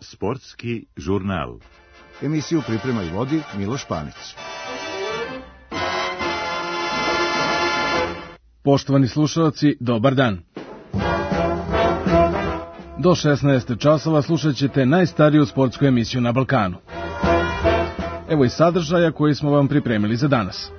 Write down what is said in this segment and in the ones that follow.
Sportski žurnal. Emisiju priprema i vodi Miloš Panić. Poštovani slušalci, dobar dan. Do 16 časova slušat ćete najstariju sportsku emisiju na Balkanu. Evo i sadržaja koji smo vam pripremili za danas.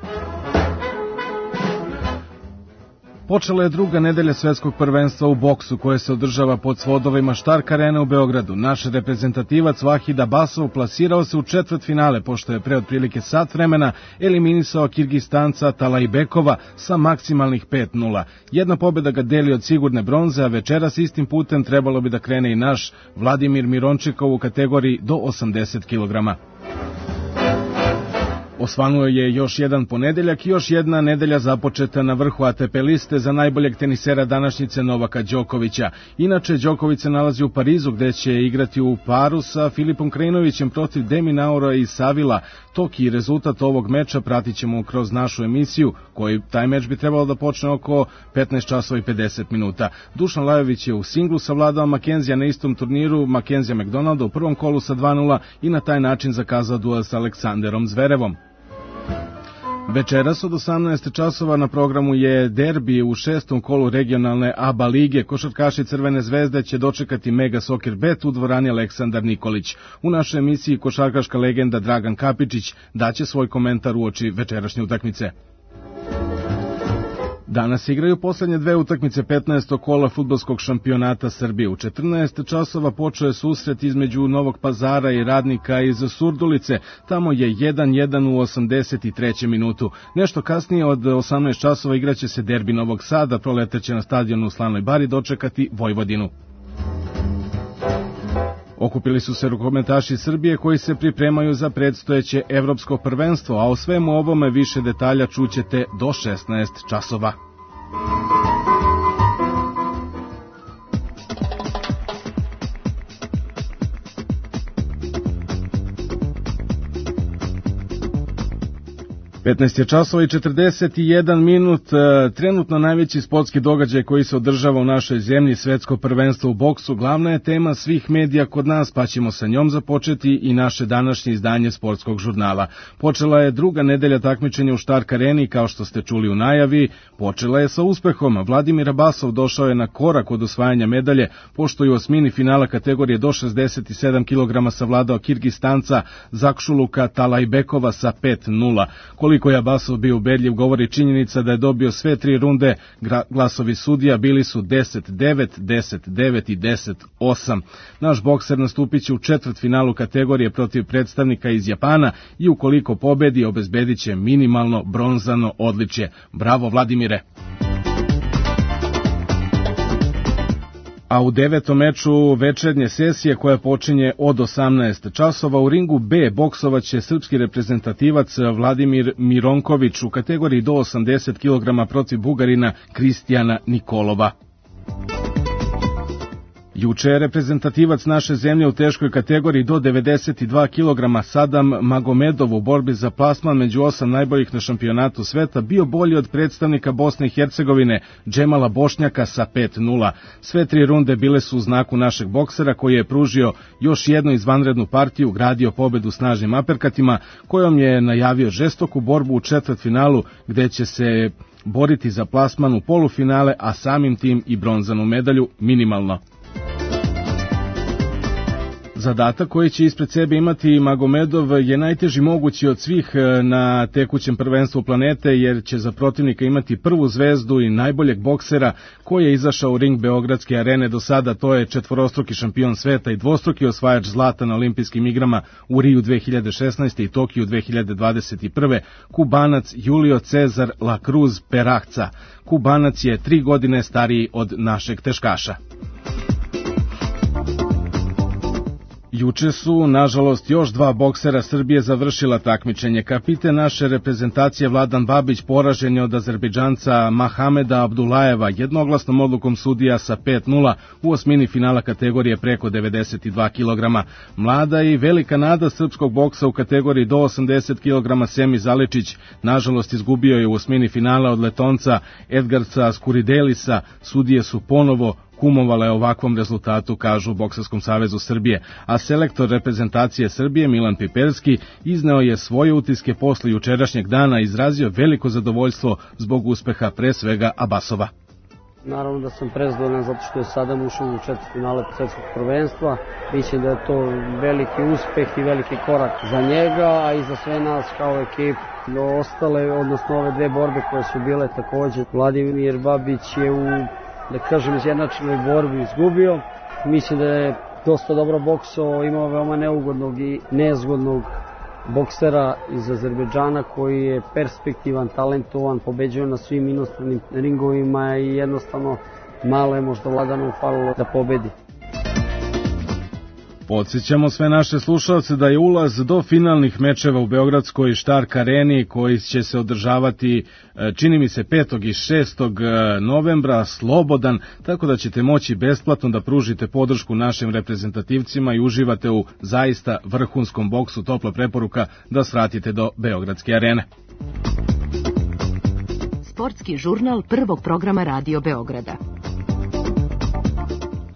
Počela je druga nedelja svetskog prvenstva u boksu koje se održava pod svodovima Štark Arene u Beogradu. Naš reprezentativac Vahid Abasov plasirao se u četvrtfinale pošto je pre otprilike sat vremena eliminisao Kirgistanca Talajbekova sa maksimalnih 5:0. Jedna pobjeda ga deli od sigurne bronze, a večeras istim putem trebalo bi da krene i naš Vladimir Mirončikov u kategoriji do 80 kg. Osvanuo je još jedan ponedeljak i još jedna nedelja započeta na vrhu ATP liste za najboljeg tenisera današnjice Novaka Đokovića. Inače, Đoković se nalazi u Parizu gde će igrati u paru sa Filipom Krajinovićem protiv De Minaura i Savila. Tok i rezultat ovog meča pratit ćemo kroz našu emisiju, koji taj meč bi trebalo da počne oko 15 časova i 50 minuta. Dušan Lajović je u singlu savladao Makenzija na istom turniru, Makenzija McDonalda u prvom kolu sa 2:0 i na taj način zakazao duel sa Aleksanderom Zverevom. Večeras od 18 časova na programu je derbi u 6. kolu regionalne ABA lige. Košarkaši Crvene zvezde će dočekati Mega Soccer Bet u dvorani Aleksandar Nikolić. U našoj emisiji košarkaška legenda Dragan Kapičić daće svoj komentar uoči večerašnje utakmice. Danas igraju poslednje dve utakmice 15. kola fudbalskog šampionata Srbije. U 14 časova počeo je susret između Novog Pazara i Radnika iz Surdulice. Tamo je 1:1 u 83. minutu. Nešto kasnije od 18 časova igraće se derbi Novog Sada, proleteće na stadionu u Slavnoj Bari dočekati Vojvodinu. Okupili su se rukometaši Srbije koji se pripremaju za predstojeće evropsko prvenstvo, a o svemu ovome više detalja čućete do 16 časova. – 15 časova i 41 minut, trenutno najveći sportski događaj koji se održava u našoj zemlji, svetsko prvenstvo u boksu, glavna je tema svih medija kod nas, pa ćemo sa njom započeti i naše današnje izdanje sportskog žurnala. Počela je druga nedelja takmičenja u Štark Areni, kao što ste čuli u najavi, počela je sa uspehom. Vladimir Abasov došao je na korak od osvajanja medalje, pošto je u osmini finala kategorije do 67 kg savladao Kirgistanca Zakšuluka Talajbekova sa 5:0. Koliko je Abasov bio ubedljiv govori činjenica da je dobio sve tri runde, glasovi sudija bili su 10-9, 10-9 i 10-8. Naš bokser nastupit će u četvrtfinalu kategorije protiv predstavnika iz Japana i ukoliko pobedi obezbedit će minimalno bronzano odličje. Bravo Vladimire! A u 9. meču večernje sesije koja počinje od 18 časova u ringu B boksovaće srpski reprezentativac Vladimir Mironković u kategoriji do 80 kg protiv Bugarina Kristijana Nikolova. Juče je reprezentativac naše zemlje u teškoj kategoriji do 92 kg Sadam Magomedov u borbi za plasman među 8 najboljih na šampionatu sveta bio bolji od predstavnika Bosne i Hercegovine Džemala Bošnjaka sa 5:0. Sve tri runde bile su u znaku našeg boksera koji je pružio još jednu izvanrednu partiju, gradio pobedu snažnim aperkatima kojom je najavio žestoku borbu u četvrtfinalu gde će se boriti za plasman u polufinale, a samim tim i bronzanu medalju minimalno. Zadatak koji će ispred sebe imati Magomedov je najteži mogući od svih na tekućem prvenstvu planete, jer će za protivnika imati prvu zvezdu i najboljeg boksera koji je izašao u ring Beogradske arene do sada, to je četvorostruki šampion sveta i dvostruki osvajač zlata na olimpijskim igrama u Riju 2016. i Tokiju 2021. Kubanac Julio Cezar La Cruz Perahca. Kubanac je 3 godine stariji od našeg teškaša. Juče su, nažalost, još dva boksera Srbije završila takmičenje. Kapiten naše reprezentacije Vladan Babić poražen je od Azerbejdžanca Mahameda Abdulajeva jednoglasnom odlukom sudija sa 5:0 u osmini finala kategorije preko 92 kg. Mlada i velika nada srpskog boksa u kategoriji do 80 kg Semi Zaličić, nažalost, izgubio je u osmini finala od Letonca Edgarca Skuridelisa. Sudije su ponovo kumovale ovakvom rezultatu, kažu u Bokserskom savezu Srbije, a selektor reprezentacije Srbije Milan Piperski izneo je svoje utiske posle jučerašnjeg dana i izrazio veliko zadovoljstvo zbog uspeha pre svega Abasova. Naravno da sam prezadovoljan zato što je sada ušao u četvrtfinale svetskog prvenstva. Mislim da je to veliki uspeh i veliki korak za njega, a i za sve nas kao ekip. Ostale, odnosno ove dve borbe koje su bile takođe, Vladimir Babić je u, da kažem, izjednačenoj borbi izgubio. Mislim da je dosta dobro boksao, imao veoma neugodnog i nezgodnog boksera iz Azerbejdžana koji je perspektivan, talentovan, pobeđuje na svim inostranim ringovima i jednostavno malo je možda Vladanu falilo da pobedi. Podsjećamo sve naše slušalce da je ulaz do finalnih mečeva u Beogradskoj Štark areni koji će se održavati, čini mi se, 5. i 6. novembra slobodan, tako da ćete moći besplatno da pružite podršku našim reprezentativcima i uživate u zaista vrhunskom boksu. Topla preporuka da svratite do Beogradske arene. Sportski žurnal prvog programa Radio Beograda.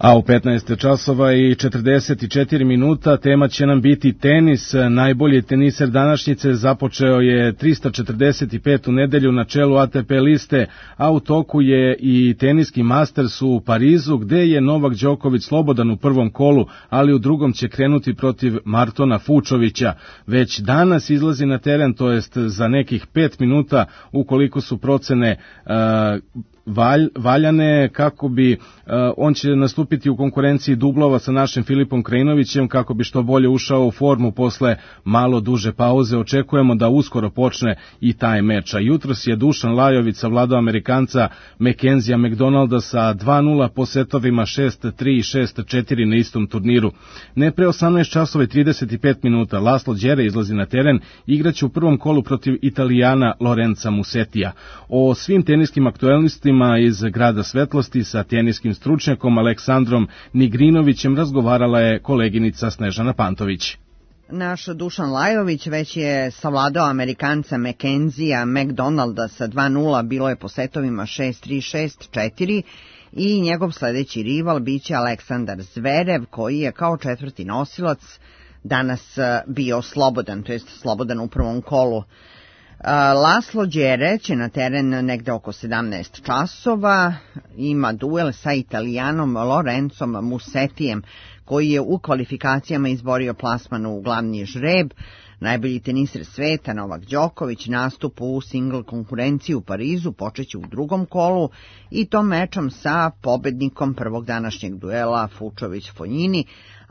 A u 15 časova i 44 minuta tema će nam biti tenis. Najbolji teniser današnjice započeo je 345. nedelju na čelu ATP liste, a u toku je i teniski Masters u Parizu, gde je Novak Đoković slobodan u prvom kolu, ali u drugom će krenuti protiv Martona Fučovića. Već danas izlazi na teren, to jest za nekih 5 minuta, ukoliko su procene valjane, kako bi on će nastupiti u konkurenciji dublova sa našim Filipom Krajinovićem kako bi što bolje ušao u formu posle malo duže pauze. Očekujemo da uskoro počne i taj meč. A jutros je Dušan Lajović savladao Amerikanca Mackenzija McDonalda sa 2:0 po setovima 6:3 i 6:4 na istom turniru. Ne pre 18 časova i 35 minuta Laslo Đere izlazi na teren, igraće u prvom kolu protiv Italijana Lorenza Musetija. O svim teniskim aktuelnostima iz Grada svetlosti sa teniskim stručnjakom Aleksandrom Nigrinovićem razgovarala je koleginica Snežana Pantović. Naš Dušan Lajović već je savladao Amerikanca Mackenzija McDonalda sa 2:0, bilo je po setovima 6:3, 6:4 i njegov sledeći rival biće Aleksandar Zverev, koji je kao četvrti nosilac danas bio slobodan, to jest slobodan u prvom kolu. Laslo Đere će na teren negde oko 17 časova, ima duel sa Italijanom Lorenzom Musetijem, koji je u kvalifikacijama izborio plasman u glavni žreb. Najbolji teniser sveta Novak Đoković nastup u single konkurenciji u Parizu počeće u drugom kolu i to mečom sa pobednikom prvog današnjeg duela Fučović-Fonjini,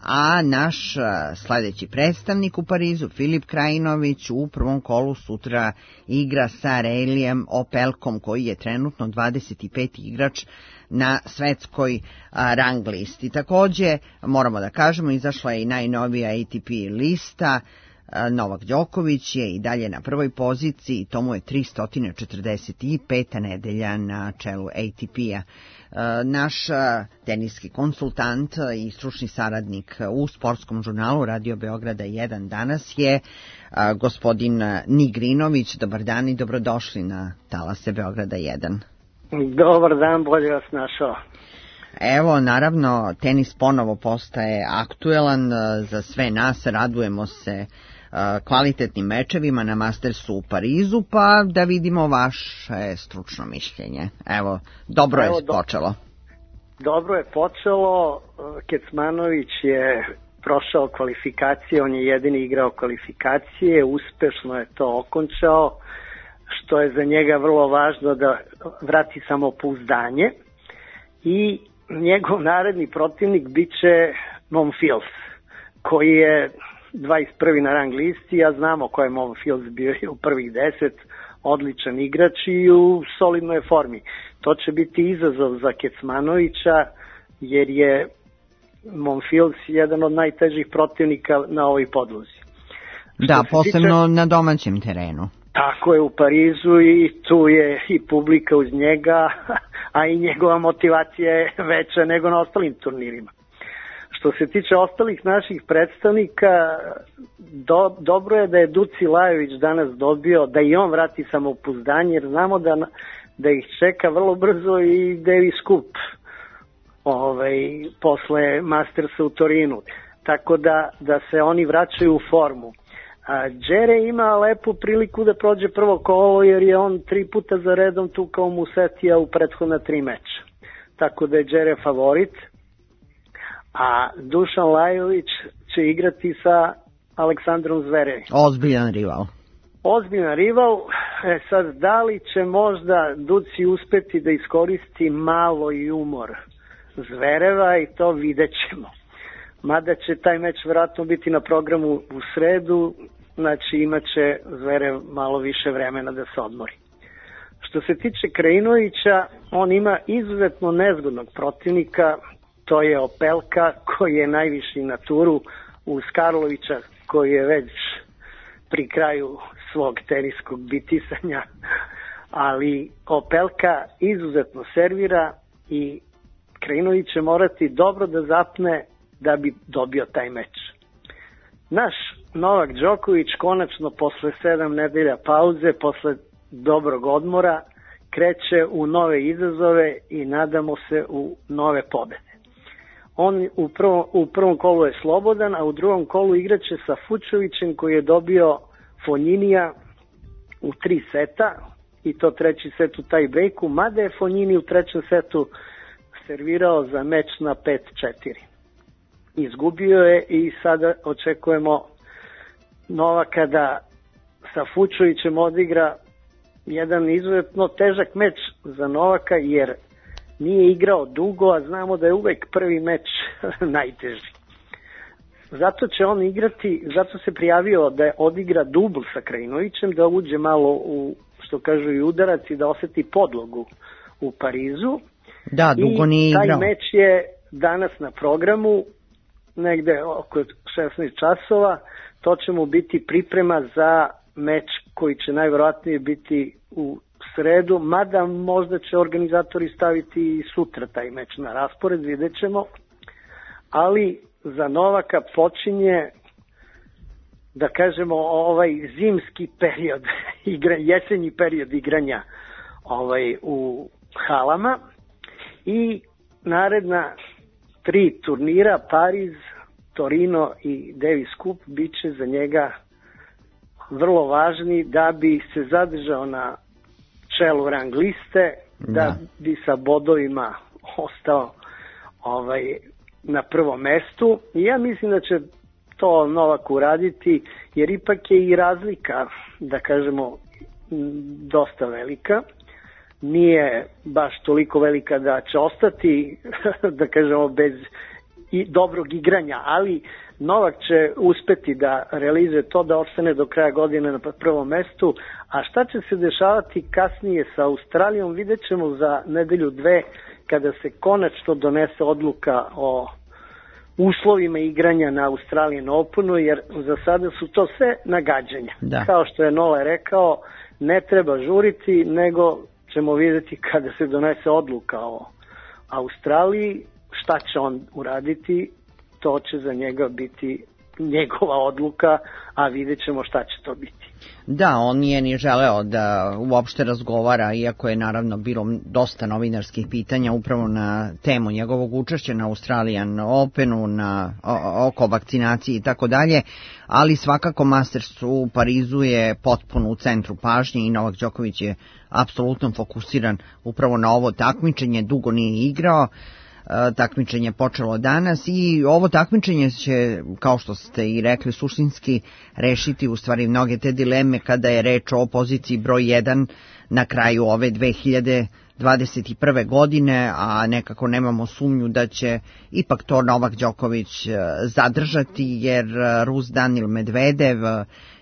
a naš sledeći predstavnik u Parizu, Filip Krajinović, u prvom kolu sutra igra sa Reilijem Opelkom, koji je trenutno 25. igrač na svetskoj rang listi. Takođe, moramo da kažemo, izašla je i najnovija ATP lista. Novak Đoković je i dalje na prvoj poziciji, to mu je 345. nedelja na čelu ATP-a. Naš teniski konsultant i stručni saradnik u sportskom žurnalu Radio Beograda 1 danas je gospodin Nigrinović. Dobar dan i dobrodošli na talase Beograda 1. Dobar dan, bolje vas našao. Evo, naravno, tenis ponovo postaje aktuelan za sve nas, radujemo se kvalitetnim mečevima na Mastersu u Parizu, pa da vidimo vaše stručno mišljenje. Evo, dobro je počelo. Dobro je počelo, Kecmanović je prošao kvalifikacije, on je jedini igrao kvalifikacije, uspešno je to okončao, što je za njega vrlo važno da vrati samopouzdanje i njegov naredni protivnik biće Monfils, koji je 21. na rang listi, a znamo ko je Monfils, bio je u prvih 10, odličan igrač i u solidnoj formi. To će biti izazov za Kecmanovića, jer je Monfils jedan od najtežih protivnika na ovoj podlozi. Da, posebno na domaćem terenu. Tako je, u Parizu, i tu je i publika uz njega, a i njegova motivacija je veća nego na ostalim turnirima. Što se tiče ostalih naših predstavnika, dobro je da je Duci Lajović danas dobio, da i on vrati samopouzdanje, jer znamo da ih čeka vrlo brzo i Davis Cup posle Mastersa u Torinu. Tako da se oni vraćaju u formu. Đere ima lepu priliku da prođe prvo kolo, jer je on 3 puta za redom tukao Musetija u prethodna 3 meča. Tako da je Đere favorit. A Dušan Lajović će igrati sa Aleksandrom Zverevim. Ozbiljan rival. Ozbiljan rival. Sad, da li će možda Duci uspeti da iskoristi malo i umor Zvereva, i to vidjet ćemo. Mada će taj meč vjerojatno biti na programu u sredu, znači imat će Zverev malo više vremena da se odmori. Što se tiče Krajinovića, on ima izuzetno nezgodnog protivnika, to je Opelka, koji je najviši na turu, uz Karlovića, koji je već pri kraju svog teniskog bitisanja, ali Opelka izuzetno servira i Krajinović će morati dobro da zapne da bi dobio taj meč. Naš Novak Đoković konačno posle 7 nedelja pauze, posle dobrog odmora, kreće u nove izazove i nadamo se u nove pobede. On u prvom kolu je slobodan, a u drugom kolu igraće sa Fučovićem, koji je dobio Fogninija u 3 seta, i to 3. set u taj breaku, mada je Fognini u 3. setu servirao za meč na 5-4. Izgubio je i sada očekujemo Novaka da sa Fučovićem odigra jedan izuzetno težak meč za Novaka, jer nije igrao dugo, a znamo da je uvek prvi meč najteži. Zato će on igrati, zato se prijavio da odigra dubl sa Krajinovićem, da uđe malo u, što kažu, i udarac i da oseti podlogu u Parizu. Da, dugo nije igrao. I taj meč je danas na programu, negde oko 16 časova. To će mu biti priprema za meč koji će najverovatnije biti u sredu, mada možda će organizatori staviti i sutra taj meč na raspored, vidjet ćemo. Ali za Novaka počinje, da kažemo, ovaj zimski period, jesenji period igranja u halama, i naredna 3 turnira, Pariz, Torino i Davis Cup, bit će za njega vrlo važni da bi se zadržao na čelu rang liste, da bi sa bodovima ostao na prvom mestu. I ja mislim da će to Novak uraditi, jer ipak je i razlika, da kažemo, dosta velika. Nije baš toliko velika da će ostati, da kažemo, bez dobrog igranja, ali Novak će uspeti da realizuje to, da ostane do kraja godine na prvom mestu. A šta će se dešavati kasnije sa Australijom, vidjet ćemo za nedelju 2, kada se konačno donese odluka o uslovima igranja na Australian Openu, jer za sada su to sve nagađanja. Da. Kao što je Nole rekao, ne treba žuriti, nego ćemo vidjeti kada se donese odluka o Australiji, šta će on uraditi, to će za njega biti njegova odluka, a vidjet ćemo šta će to biti. Da, on nije ni želeo da uopšte razgovara, iako je naravno bilo dosta novinarskih pitanja upravo na temu njegovog učešća na Australian Openu, oko vakcinacije i tako dalje, ali svakako Masters u Parizu je potpuno u centru pažnje i Novak Đoković je apsolutno fokusiran upravo na ovo takmičenje, dugo nije igrao. Takmičenje je počelo danas i ovo takmičenje će, kao što ste i rekli, suštinski rešiti u stvari mnoge te dileme kada je reč o poziciji broj 1 na kraju ove 2021. godine, a nekako nemamo sumnju da će ipak to Novak Đoković zadržati, jer Rus Danil Medvedev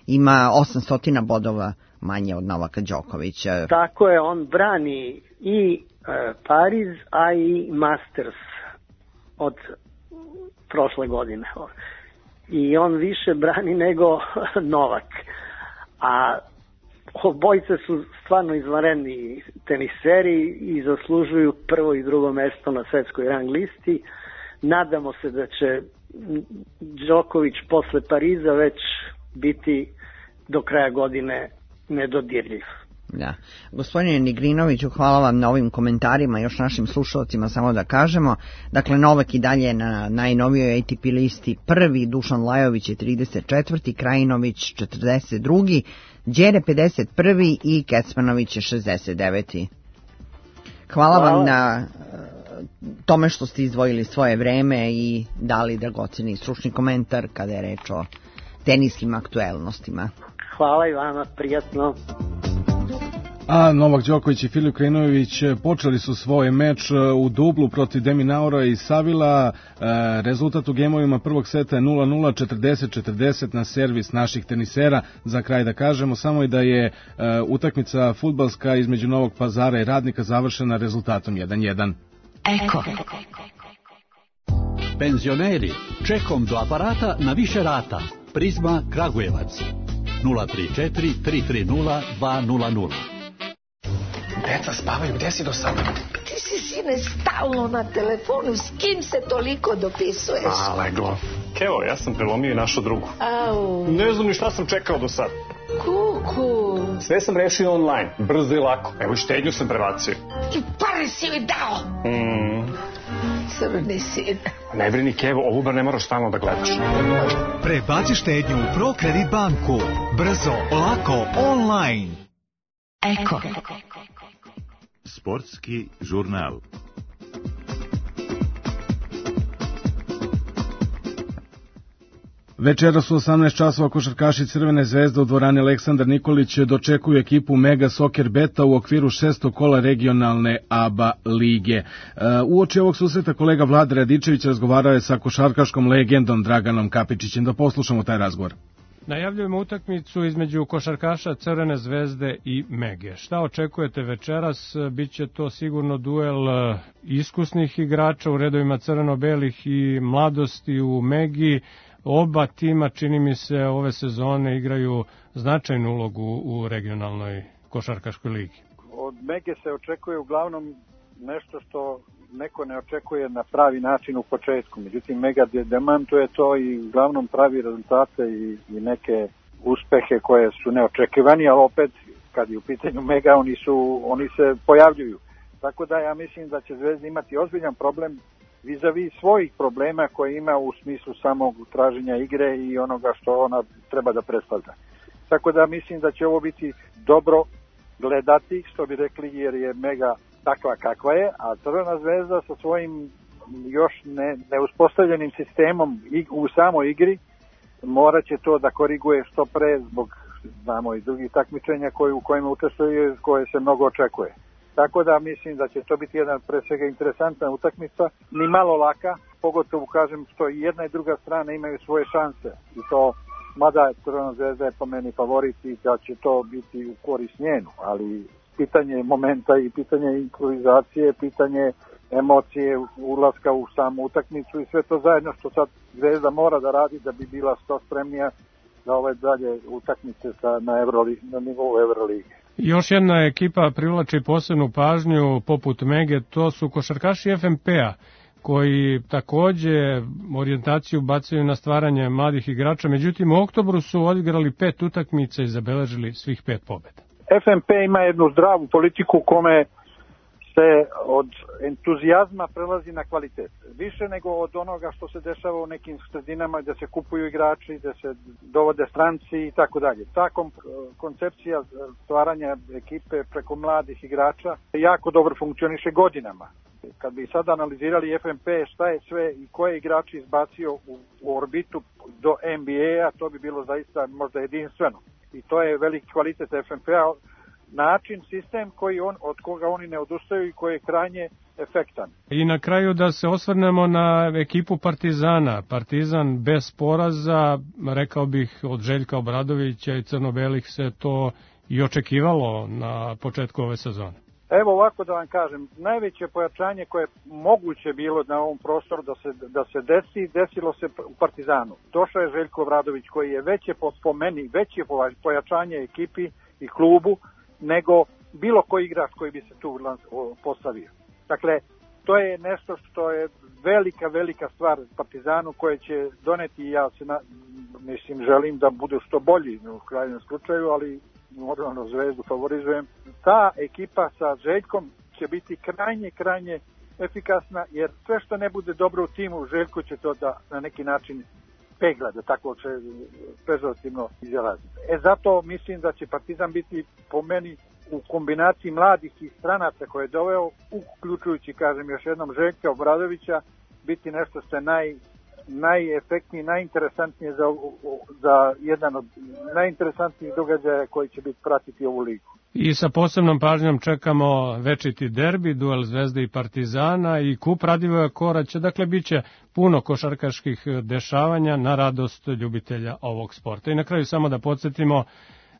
ima 800 bodova manje od Novaka Đokovića. Tako je, on brani i Pariz, a i Masters od prošle godine. I on više brani nego Novak. A obojice su stvarno izvanredni teniseri i zaslužuju prvo i drugo mesto na svetskoj rang listi. Nadamo se da će Đoković posle Pariza već biti do kraja godine nedodirljiv. Da. Gospodine Nigrinoviću, hvala vam na ovim komentarima, još našim slušalcima samo da kažemo. Dakle, Novak i dalje na najnovijoj ATP listi prvi, Dušan Lajović je 34. Krajinović 42. Đere 51. i Kecmanović je 69. Hvala vam na tome što ste izdvojili svoje vreme i dali dragoceni stručni komentar kada je reč o teniskim aktuelnostima. Hvala i vama, prijatno. A Novak Đoković i Filip Krajinović počeli su svoj meč u dublu protiv De Minaura i Savila. Rezultat u gemovima prvog seta je 0-0, 40-40 na servis naših tenisera. Za kraj da kažemo samo i da je utakmica fudbalska između Novog Pazara i Radnika završena rezultatom 1-1. Eko. Penzioneri, čekom do aparata na više rata. Prizma Kragujevac 034 330 200. Deca spavaju, gde si do sada? Ti si, sine, stalno na telefonu, s kim se toliko dopisuješ? Leglo. Kevo, ja sam prelomio i našu drugu. Au. Ne znam ni šta sam čekao do sada. Kuku. Sve sam rešio online, brzo i lako. Evo i štednju sam prebacio. I pare si joj dao. Crni sin. Ne brini, Kevo, ovu bar ne moraš stalno da gledaš. Prebaci štednju u ProKredit banku. Brzo, lako, online. Eko. Sportski žurnal. Večeras u 18 časova košarkaši Crvene zvezde u dvorani Aleksandar Nikolić dočekuju ekipu Mega Soccer Beta u okviru 6. kola regionalne ABA lige. Uoči ovog susreta kolega Vlada Radičević razgovarao je sa košarkaškom legendom Draganom Kapičićem. Da poslušamo taj razgovor. Najavljujemo utakmicu između košarkaša Crvene zvezde i Mege. Šta očekujete večeras? Biće to sigurno duel iskusnih igrača u redovima crveno-belih i mladosti u Megi. Oba tima, čini mi se, ove sezone igraju značajnu ulogu u regionalnoj košarkaškoj ligi. Od Mege se očekuje uglavnom nešto što neko ne očekuje na pravi način u početku. Međutim, Mega demantuje to i uglavnom pravi rezultate i neke uspehe koje su neočekivani, ali opet kad je u pitanju Mega oni se pojavljuju. Tako da ja mislim da će Zvezda imati ozbiljan problem vis-a-vis svojih problema koje ima u smislu samog traženja igre i onoga što ona treba da predstavlja. Tako da mislim da će ovo biti dobro gledati, što bi rekli, jer je Mega takva kakva je, a Crvena zvezda sa svojim još neuspostavljenim sistemom u samoj igri morat će to da koriguje što pre zbog, znamo, i drugih takmičenja u kojima učestvuje, koje se mnogo očekuje. Tako da mislim da će to biti jedan pre svega interesantna utakmica, ni malo laka, pogotovo kažem što i jedna i druga strana imaju svoje šanse i to, mada Crvena zvezda je po meni favorit i da će to biti u korist njenu, ali pitanje momenta i pitanje improvizacije, pitanje emocije, ulaska u samu utakmicu i sve to zajedno što sad Zvezda mora da radi da bi bila što spremnija za ove dalje utakmice na nivou Euroligi. Još jedna ekipa privlači posebnu pažnju poput Mege, to su košarkaši FNP-a koji takođe orijentaciju bacaju na stvaranje mladih igrača, međutim u oktobru su odigrali 5 utakmica i zabeležili svih 5 pobjeda. FNP ima jednu zdravu politiku kome se od entuzijazma prelazi na kvalitet. Više nego od onoga što se dešava u nekim sredinama gde se kupuju igrači, gde se dovode stranci i tako dalje. Ta koncepcija stvaranja ekipe preko mladih igrača jako dobro funkcioniše godinama. Kad bi sad analizirali FNP šta je sve i koje igrači izbacio u orbitu do NBA-a, to bi bilo zaista možda jedinstveno. I to je veliki kvalitet FNP-a, način, sistem od koga oni ne odustaju i koji je krajnje efektan. I na kraju da se osvrnemo na ekipu Partizana. Partizan bez poraza, rekao bih od Željka Obradovića i crno-belih se to i očekivalo na početku ove sezone. Evo ovako da vam kažem, najveće pojačanje koje je moguće bilo na ovom prostoru da se desilo se u Partizanu. Došao je Željko Obradović koji je veće po meni, veće pojačanje ekipi i klubu nego bilo koji igrač koji bi se tu postavio. Dakle, to je nešto što je velika stvar Partizanu koje će doneti, ja se želim da budu što bolji u krajnjem slučaju, ali normalno Zvezdu favorizujem. Ta ekipa sa Željkom će biti krajnje efikasna, jer sve što ne bude dobro u timu, Željko će to da na neki način pegla, da tako će pežorativno izraziti. Zato mislim da će Partizan biti po meni u kombinaciji mladih i stranaca koje je doveo, uključujući, kažem još jednom, Željka Obradovića, biti nešto što je najefektniji, najinteresantnije za jedan od najinteresantnijih događaja koji će biti pratiti ovu ligu. I sa posebnom pažnjom čekamo večiti derbi, duel Zvezde i Partizana i kup Radivoja Koraća. Dakle, bit će puno košarkaških dešavanja na radost ljubitelja ovog sporta. I na kraju samo da podsjetimo,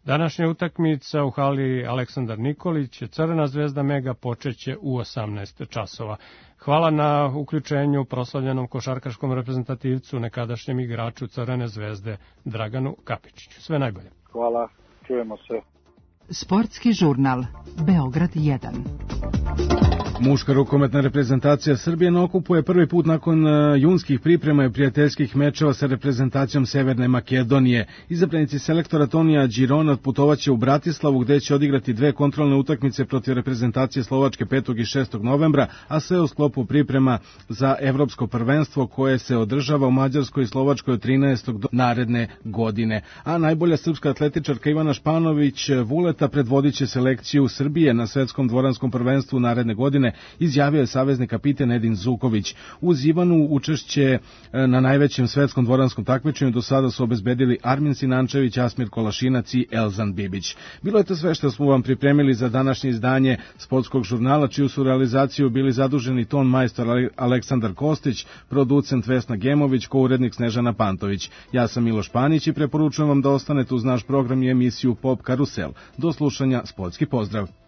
današnja utakmica u hali Aleksandar Nikolić, Crvena Zvezda Mega počeće u 18 časova. Hvala na uključenju proslavljenom košarkaškom reprezentativcu, nekadašnjem igraču Crvene Zvezde Draganu Kapičiću. Sve najbolje. Hvala, čujemo se. Sportski žurnal Beograd 1. Muška rukometna reprezentacija Srbije na okupu je prvi put nakon junskih priprema i prijateljskih mečeva sa reprezentacijom Severne Makedonije. Izabranici selektora Tonija Girona putovaće u Bratislavu gde će odigrati dve kontrolne utakmice protiv reprezentacije Slovačke 5. i 6. novembra, a sve u sklopu priprema za evropsko prvenstvo koje se održava u Mađarskoj i Slovačkoj od 13. do naredne godine. A najbolja srpska atletičarka Ivana Španović Vuleta predvodit će selekciju Srbije na svetskom dvoranskom prvenstvu naredne godine, izjavio je savezni kapiten Edin Zuković. Uz Ivanu učešće na najvećem svetskom dvoranskom takmičenju do sada su obezbedili Armin Sinančević, Asmir Kolašinac i Elzan Bibić. Bilo je to sve što smo vam pripremili za današnje izdanje Sportskog žurnala, čiju su realizaciju bili zaduženi ton majstor Aleksandar Kostić, producent Vesna Gemović, kourednik Snežana Pantović. Ja sam Miloš Panić i preporučujem vam da ostanete uz naš program i emisiju Pop Karusel. Do slušanja, sportski pozdrav.